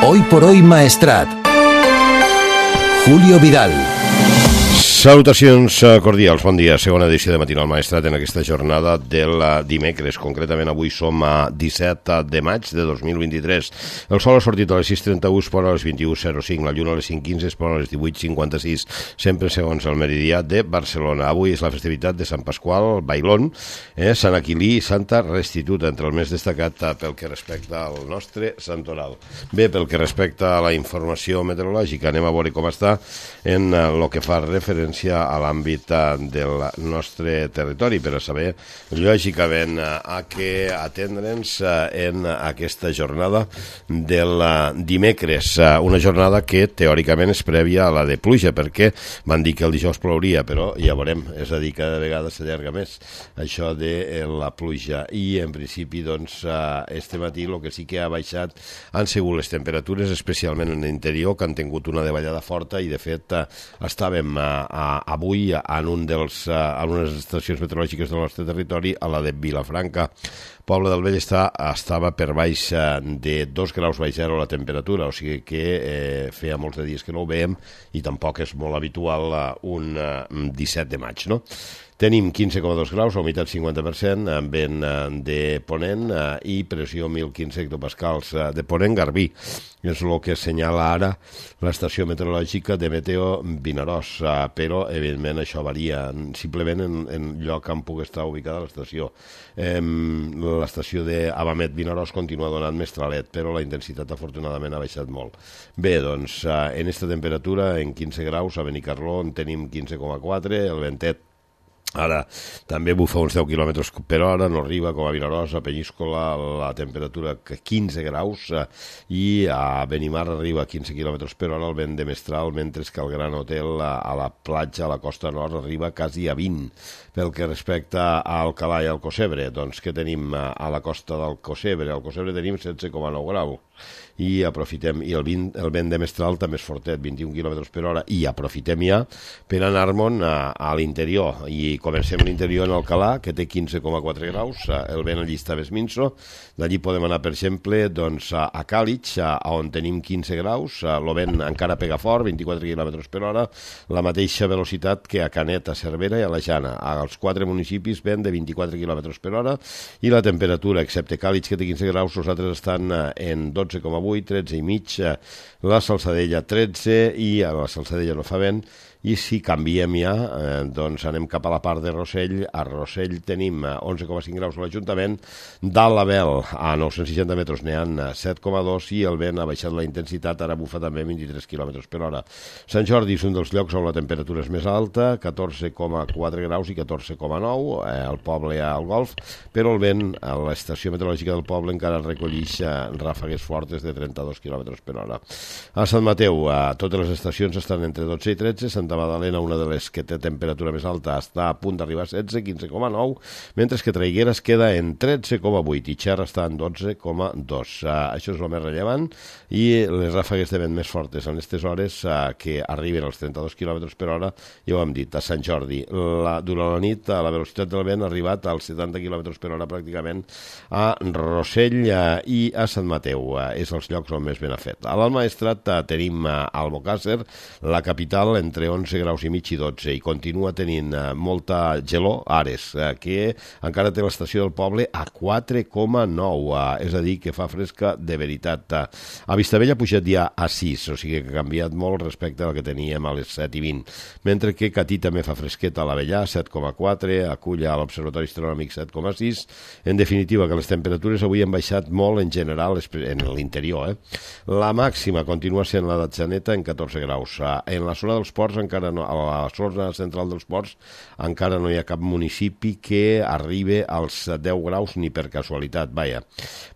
Hoy por hoy Maestrat. Julio Vidal. Salutacions cordials, bon dia. Segona edició de Matinal Maestrat en aquesta jornada del dimecres. Concretament avui som a 17 de maig de 2023. El sol ha sortit a les 6:31, es pon a les 21:05. La lluna a les 5:15, es pon a les 18:56. Sempre segons el meridià de Barcelona. Avui és la festivitat de Sant Pasqual, Bailón, Sant Aquilí i Santa Restituta, entre el més destacat pel que respecta al nostre santoral. Bé, pel que respecta a la informació meteorològica, anem a veure com està en el que fa referència a l'àmbit del nostre territori, per a saber, lògicament, a què atendre'ns en aquesta jornada del dimecres. Una jornada que teòricament és prèvia a la de pluja, perquè van dir que el dijous plouria, però ja veurem, és a dir, cada vegada s'allarga més això de la pluja. I en principi, doncs, este matí el que sí que ha baixat han sigut les temperatures, especialment en l'interior, que han tingut una davallada forta i, de fet, estàvem avui en unes estacions meteorològiques del nostre territori, a la de Vilafranca. Poble del Vell estava per baix de 2 graus baix zero la temperatura, o sigui que feia molts de dies que no ho veiem i tampoc és molt habitual un 17 de maig, no? Tenim 15,2 graus, humitat 50%, vent de ponent i pressió 1.015 hectopascals de ponent Garbí. És el que assenyala ara l'estació meteorològica de Meteo Vinaròs, però evidentment això varia simplement en lloc on pugui estar ubicada l'estació. L'estació d'Abamet Vinaròs continua donant més tralet, però la intensitat afortunadament ha baixat molt. Bé, doncs en aquesta temperatura, en 15 graus, a Benicarló en tenim 15,4, el ventet ara també bufa uns 10 km per hora, no arriba com a Vinaròs, a Penyíscola la temperatura 15 graus i a Benimar arriba a 15 km per hora el vent de mestral, mentre que el Gran Hotel a la platja, a la costa nord, arriba quasi a 20. Pel que respecta a Alcalà i Alcocebre, doncs què tenim a la costa d'Alcocebre? Al Cocebre tenim 16,9 graus i aprofitem, i el vent de mestral també és fortet, 21 km per hora, i aprofitem ja per anar-me'n a l'interior, i comencem l'interior en Alcalà, que té 15,4 graus, el vent allí està més minso. D'allí podem anar, per exemple, doncs, a Càlig, on tenim 15 graus, el vent encara pega fort, 24 km per hora, la mateixa velocitat que a Canet, a Cervera i a la Jana. Als 4 municipis vent de 24 km per hora, i la temperatura, excepte Càlig, que té 15 graus, els altres estan en 12,8, 13,5, la Salzadella 13, i a la Salzadella no fa vent. I si canviem ja, doncs anem cap a la part de Rossell. A Rossell tenim 11,5 graus a l'Ajuntament, dalt la Vel a 960 metres n'hi ha 7,2 i el vent ha baixat la intensitat, ara bufa també 23 km per hora. Sant Jordi és un dels llocs on la temperatura és més alta, 14,4 graus i 14,9, al poble al Golf, però el vent a l'estació meteorològica del poble encara recollix ràfegues fortes de 32 km per hora. A Sant Mateu, totes les estacions estan entre 12 i 13, Santa Magdalena, una de les que té temperatura més alta, està a punt d'arribar a 16, 15,9, mentre que Traiguera es queda en 13,8 i Xerra està en 12,2. Això és el més rellevant, i les ràfegues de vent més fortes en aquestes hores que arriben als 32 km per hora, ja ho hem dit, a Sant Jordi. Durant la nit la velocitat del vent ha arribat als 70 km per hora pràcticament a Rossell i a Sant Mateu. És els llocs on més vent ha fet. A l'Alt Maestrat tenim Albocàsser, la capital, entre 11 graus i mig i 12, i continua tenint molta gelor, Ares, que encara té l'estació del poble a 4,9, és a dir, que fa fresca de veritat. A Vistabella ha pujat ja a 6, o sigui que ha canviat molt respecte al que teníem a les 7:20, mentre que Catí també fa fresqueta a l'Avellà, 7,4, a Culla, a l'Observatori Astronòmic, 7,6. En definitiva, que les temperatures avui han baixat molt en general en l'interior. La màxima continua sent la d'Atzeneta en 14 graus. En la zona dels ports encara no, a la zona central dels ports encara no hi ha cap municipi que arribi als 10 graus ni per casualitat, vaja.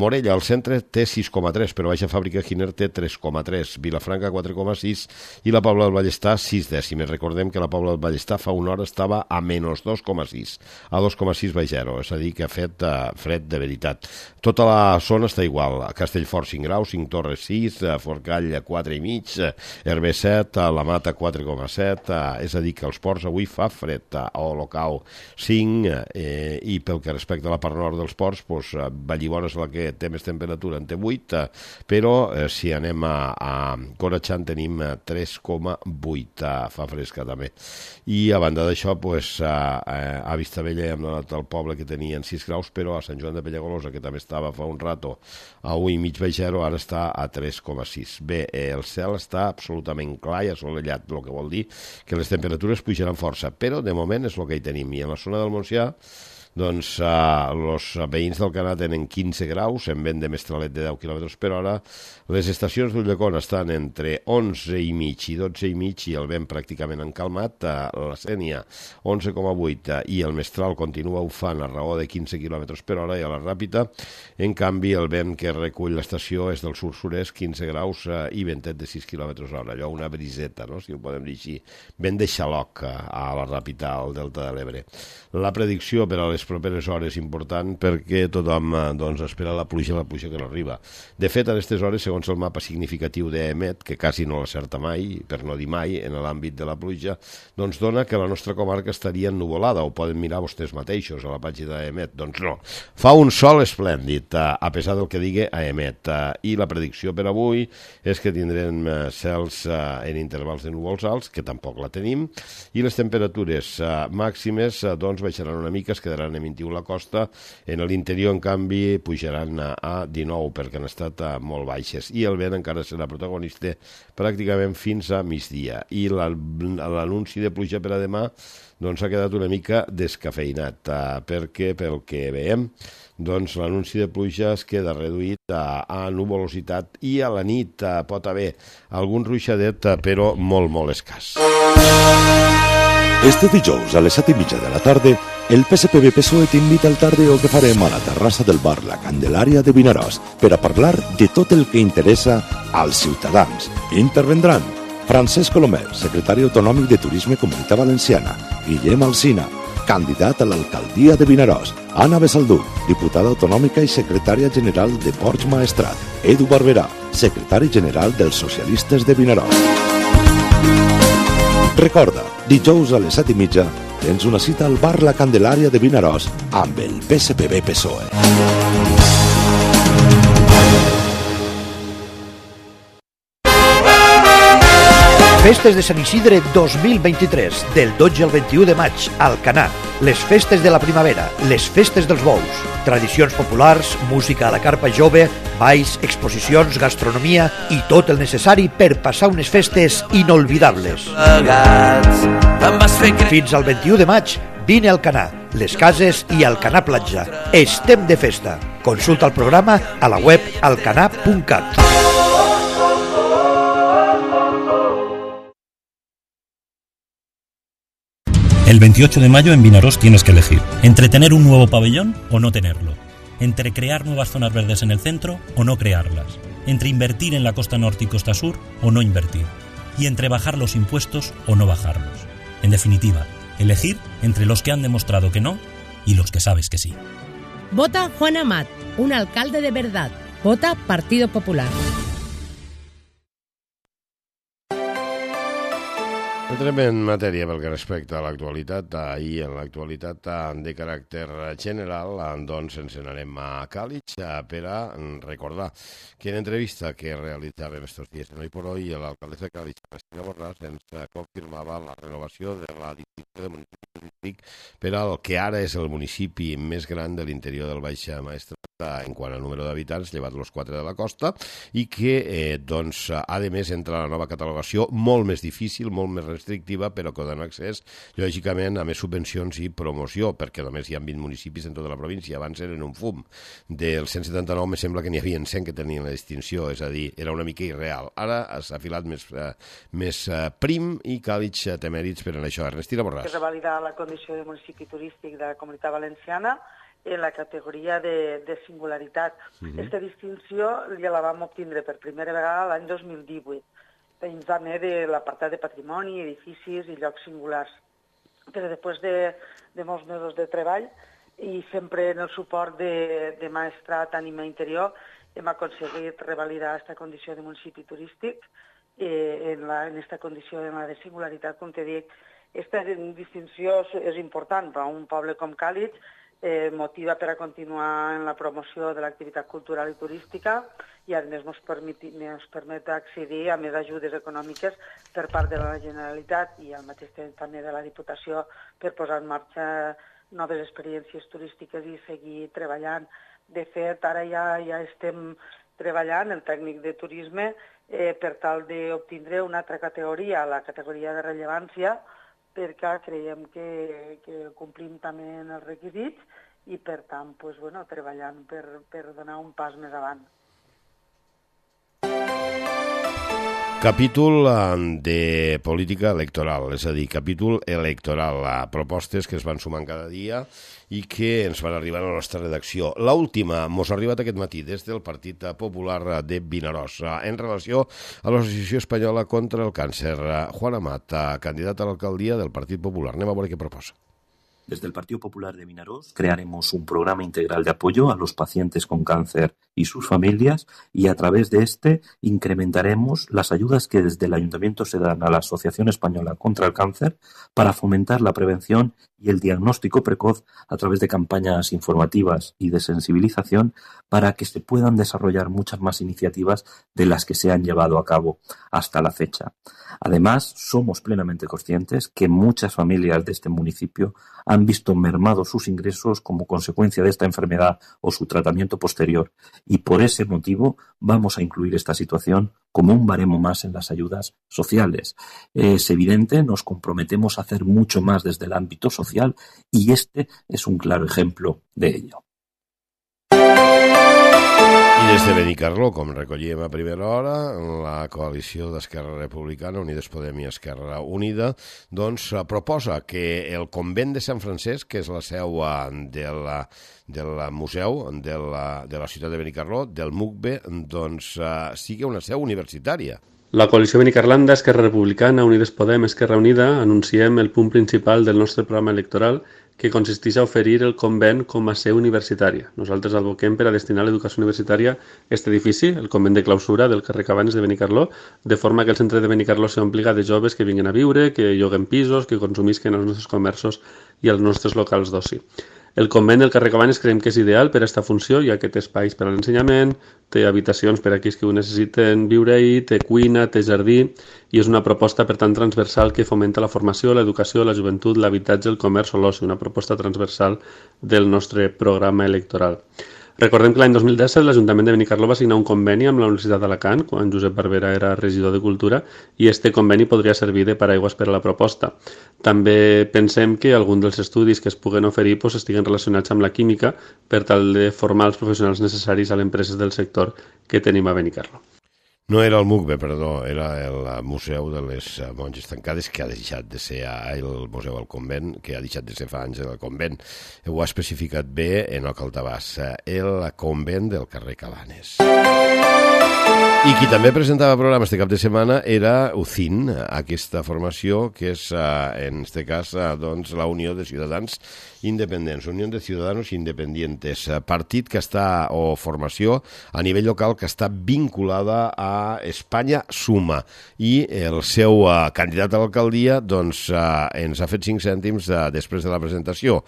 Morella, al centre, té 6,3, però Baixa Fàbrica Giner té 3,3, Vilafranca 4,6 i la Pobla del Ballestar 6 dècimes. Recordem que la Pobla del Ballestar fa una hora estava a menys 2,6, a 2,6 baix zero, és a dir, que ha fet fred de veritat. Tota la zona està igual, Castellfort 5 graus, 5 Torres 6, Forcall 4,5, Hervé 7, la Mata 4,6, 7, és a dir, que els ports avui fa fred, a Olocau 5, i pel que respecta a la part nord dels ports, Vallibona és la que té més temperatura, en té 8, però si anem a Corachán tenim 3,8, fa fresca també. I a banda d'això, a Vistabella hem donat al poble que tenien 6 graus, però a Sant Joan de Penyagolosa, que també estava fa un rato a 1,5 baix 0, ara està a 3,6. Bé, el cel està absolutament clar i assolellat, el que vol dir que les temperatures pujaran força, però de moment és el que hi tenim. I en la zona del Montsià, doncs els veïns del Canà tenen 15 graus, en vent de mestralet de 10 km per hora. Les estacions d'Ulldecona estan entre 11,5 i 12,5 i el vent pràcticament encalmat. La Sénia 11,8 i el mestral continua bufant a raó de 15 km per hora, i a la Ràpita, en canvi, el vent que recull l'estació és del sud-sud-est, 15 graus i ventet de 6 km hora, allò una briseta, no? Si ho podem dir així, vent de xaloc a la Ràpita, al Delta de l'Ebre. La predicció per a les properes hores important, perquè tothom espera la pluja que no arriba. De fet, a aquestes hores, segons el mapa significatiu d'EMET, que quasi no l'acerta mai, per no dir mai, en l'àmbit de la pluja, doncs dona que la nostra comarca estaria ennuvolada. Ho poden mirar vostès mateixos a la pàgina d'EMET. Doncs no, fa un sol esplèndid, a pesar del que digui EMET. I la predicció per avui és que tindrem cels en intervals de núvols alts, que tampoc la tenim, i les temperatures màximes baixaran una mica, es quedaran a 21 la costa, en l'interior, en canvi, pujaran a 19, perquè han estat molt baixes, i el vent encara serà protagonista pràcticament fins a migdia. I l'anunci de pluja per a demà s'ha quedat una mica descafeinat, perquè, pel que veiem, l'anunci de pluja es queda reduït a nuvolositat, i a la nit pot haver algun ruixadet, però molt, molt escàs. Este dijous a les 7:30 de la tarda, el PSPB-PSOE t'invita al tardeo que farem a la terrassa del bar La Candelària de Vinaròs per a parlar de tot el que interessa als ciutadans. Intervendran Francesc Colomer, secretari autonòmic de Turisme Comunitat Valenciana, Guillem Alsina, candidat a l'alcaldia de Vinaròs, Anna Besaldú, diputada autonòmica i secretària general de Ports Maestrat, Edu Barberà, secretari general dels Socialistes de Vinaròs. Recorda, dijous a les 7:30 tens una cita al bar La Candelària de Vinaròs amb el PSPB-PSOE. Festes de Sant Isidre 2023, del 12 al 21 de maig, al Canà. Les festes de la primavera, les festes dels bous, tradicions populars, música a la carpa jove, balls, exposicions, gastronomia i tot el necessari per passar unes festes inolvidables. Fins al 21 de maig, vine al Canà, les cases i al Canà Platja. Estem de festa. Consulta el programa a la web alcanà.cat. El 28 de mayo en Vinaròs tienes que elegir entre tener un nuevo pabellón o no tenerlo, entre crear nuevas zonas verdes en el centro o no crearlas, entre invertir en la costa norte y costa sur o no invertir, y entre bajar los impuestos o no bajarlos. En definitiva, elegir entre los que han demostrado que no y los que sabes que sí. Vota Juan Amat, un alcalde de verdad. Vota Partido Popular. Entrem en matèria pel que respecta a l'actualitat. Ahir, en l'actualitat de caràcter general, doncs ens n'anem a Càlig per a recordar que en entrevista que realitzàvem estos dies en Hoy, l'alcaldessa de Càlig, Cristina Borràs, ens confirmava la renovació de la distinció de municipi turístic per al que ara és el municipi més gran de l'interior del Baix Maestrat en quant al número d'habitants, llevat els 4 de la costa, i que, doncs, a més, entra la nova catalogació molt més difícil, molt més restrictiva, però que dona accés, lògicament, a més subvencions i promoció, perquè només hi ha 20 municipis en tota la província. Abans eren un fum. Del 179 me sembla que n'hi havia 100 que tenien la distinció, és a dir, era una mica irreal. Ara s'ha filat més prim i Càlig té mèrits per en això. Ernestina Borràs. Es revalida la condició de municipi turístic de la Comunitat Valenciana en la categoria de singularitat. Aquesta distinció ja la vam obtindre per primera vegada l'any 2018, dins també de l'apartat de patrimoni, edificis i llocs singulars. Però després de molts mesos de treball i sempre en el suport de Maestrat Ànima Interior hem aconseguit revalidar aquesta condició de municipi turístic en aquesta condició en la de singularitat, com te dic. Aquesta distinció és important per a un poble com Càlig, motiva per a continuar en la promoció de l'activitat cultural i turística i a més ens permet accedir a més ajudes econòmiques per part de la Generalitat i al mateix temps també de la Diputació per posar en marxa noves experiències turístiques i seguir treballant. De fet, ara ja estem treballant el tècnic de turisme per tal d'obtindre una altra categoria, la categoria de rellevància, perquè creiem que complim també els requisits i, per tant, treballant per donar un pas més avant. Capítol de política electoral, és a dir, capítol electoral, propostes que es van sumant cada dia i que ens van arribar a la nostra redacció. L'última mos ha arribat aquest matí des del Partit Popular de Vinaròs en relació a l'Associació Espanyola contra el Càncer. Juan Amat, candidat a l'alcaldia del Partit Popular. Anem a veure què proposa. Desde el Partido Popular de Vinaròs crearemos un programa integral de apoyo a los pacientes con cáncer y sus familias y a través de este incrementaremos las ayudas que desde el Ayuntamiento se dan a la Asociación Española contra el Cáncer para fomentar la prevención y el diagnóstico precoz a través de campañas informativas y de sensibilización para que se puedan desarrollar muchas más iniciativas de las que se han llevado a cabo hasta la fecha. Además, somos plenamente conscientes que muchas familias de este municipio han visto mermados sus ingresos como consecuencia de esta enfermedad o su tratamiento posterior y por ese motivo vamos a incluir esta situación como un baremo más en las ayudas sociales. Es evidente, nos comprometemos a hacer mucho más desde el ámbito social y este es un claro ejemplo de ello. I des de Benicarló, com recollíem a primera hora, la coalició d'Esquerra Republicana, Unides Podem i Esquerra Unida, doncs proposa que el convent de Sant Francesc, que és la seu del museu de la ciutat de Benicarló, del MUCBE, doncs sigui una seu universitària. La coalició Benicarlanda, Esquerra Republicana, Unides Podem, Esquerra Unida, anunciem el punt principal del nostre programa electoral que consisteix a oferir el convent com a seu universitària. Nosaltres advoquem per a destinar l'educació universitària a aquest edifici, el convent de clausura del carrer Cabanes de Benicarló, de forma que el centre de Benicarló s'ompliga de joves que vinguen a viure, que lloguen pisos, que consumisquen els nostres comerços i els nostres locals d'oci. El convent del carrer Cabanes creiem que és ideal per a aquesta funció, ja que té espais per a l'ensenyament, té habitacions per a aquells que ho necessiten viure-hi, té cuina, té jardí, i és una proposta, per tant, transversal que fomenta la formació, l'educació, la joventut, l'habitatge, el comerç o l'oci, una proposta transversal del nostre programa electoral. Recordem que l'any 2017 l'Ajuntament de Benicarló va signar un conveni amb la Universitat d'Alacant, quan Josep Barbera era regidor de Cultura, i este conveni podria servir de paraigües per a la proposta. També pensem que alguns dels estudis que es puguen oferir estiguen relacionats amb la química per tal de formar els professionals necessaris a les empreses del sector que tenim a Benicarló. No era el MUCBE, perdó, era el Museu de les Monges Tancades, que ha deixat de ser el Museu del Convent, que ha deixat de ser fa anys el convent. Ho ha especificat bé Enoc Altabàs, el convent del carrer Cabanes. I qui també presentava programa este cap de setmana era UCIN, aquesta formació que és, en este cas, doncs, la Unió de Ciutadans Independents, Unió de Ciudadanos Independientes, partit que està, o formació a nivell local que està vinculada a Espanya Suma, i el seu candidat a l'alcaldia doncs, ens ha fet 5 cèntims després de la presentació.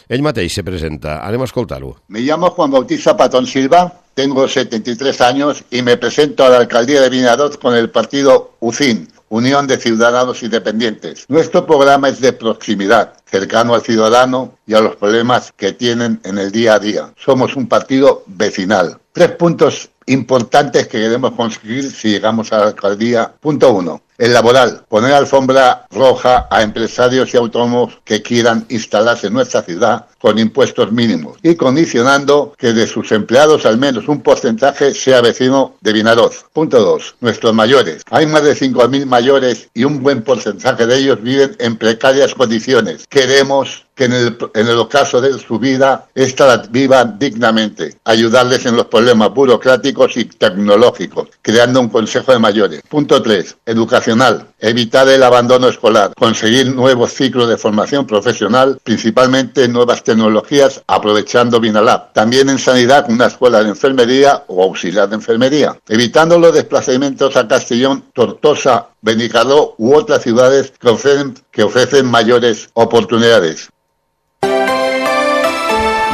Ell mateix se presenta, anem a escoltar-ho. Me llamo Juan Bautista Patón Silva, tengo 73 años y me presento a la alcaldía de Vinaròs con el partido UCIN, Unión de Ciudadanos Independientes. Nuestro programa es de proximidad, cercano al ciudadano y a los problemas que tienen en el día a día. Somos un partido vecinal. 3 puntos importantes que queremos conseguir si llegamos a la alcaldía. Punto 1. El laboral, poner alfombra roja a empresarios y autónomos que quieran instalarse en nuestra ciudad con impuestos mínimos y condicionando que de sus empleados al menos un porcentaje sea vecino de Vinaròs. Punto 2. Nuestros mayores. Hay más de 5.000 mayores y un buen porcentaje de ellos viven en precarias condiciones. Queremos que en el ocaso de su vida, esta la vivan dignamente, ayudarles en los problemas burocráticos y tecnológicos, creando un consejo de mayores. Punto 3. Educacional. Evitar el abandono escolar. Conseguir nuevos ciclos de formación profesional, principalmente nuevas tecnologías, aprovechando Vinalab. También en sanidad, una escuela de enfermería o auxiliar de enfermería. Evitando los desplazamientos a Castellón, Tortosa, Benicarló u otras ciudades que ofrecen mayores oportunidades.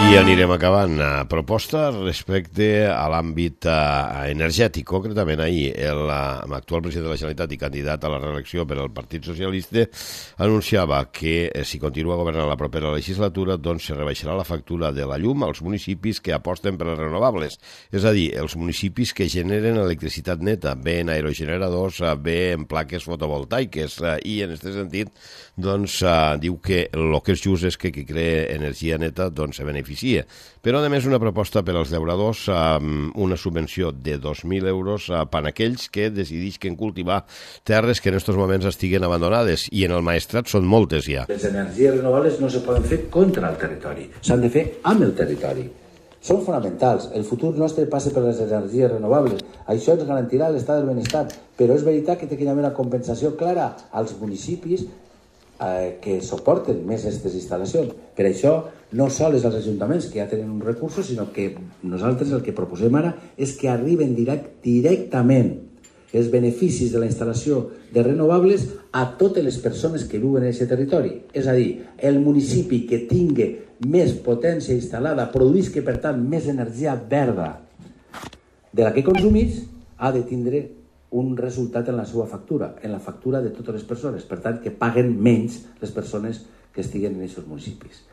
I anirem acabant. Proposta respecte a l'àmbit energètic. Concretament ahir, l'actual president de la Generalitat i candidat a la reelecció per al Partit Socialista anunciava que si continua governant la propera legislatura doncs se rebaixarà la factura de la llum als municipis que aposten per les renovables. És a dir, els municipis que generen electricitat neta, bé en aerogeneradors, bé en plaques fotovoltaiques. I en aquest sentit doncs diu que el que és just és que qui crea energia neta doncs se beneficia. Però, a més, una proposta per als llauradors, una subvenció de 2.000 euros per a aquells que decidisquen cultivar terres que en aquests moments estiguen abandonades, i en el Maestrat són moltes ja. Les energies renovables no se poden fer contra el territori, s'han de fer amb el territori. Són fonamentals. El futur nostre passa per les energies renovables. Això ens garantirà l'estat del benestar, però és veritat que té que haver una compensació clara als municipis que suporten més aquestes instal·lacions. Per això, no sols els ajuntaments que ja tenen uns recursos, sinó que nosaltres el que proposem ara és que arriben directament els beneficis de la instal·lació de renovables a totes les persones que viuen en aquest territori. És a dir, el municipi que tingui més potència instal·lada, produïsca, per tant, més energia verda de la que consumís, ha de tindre un resultat en la seva factura, en la factura de totes les persones. Per tant, que paguen menys les persones que estiguen en aquests municipis.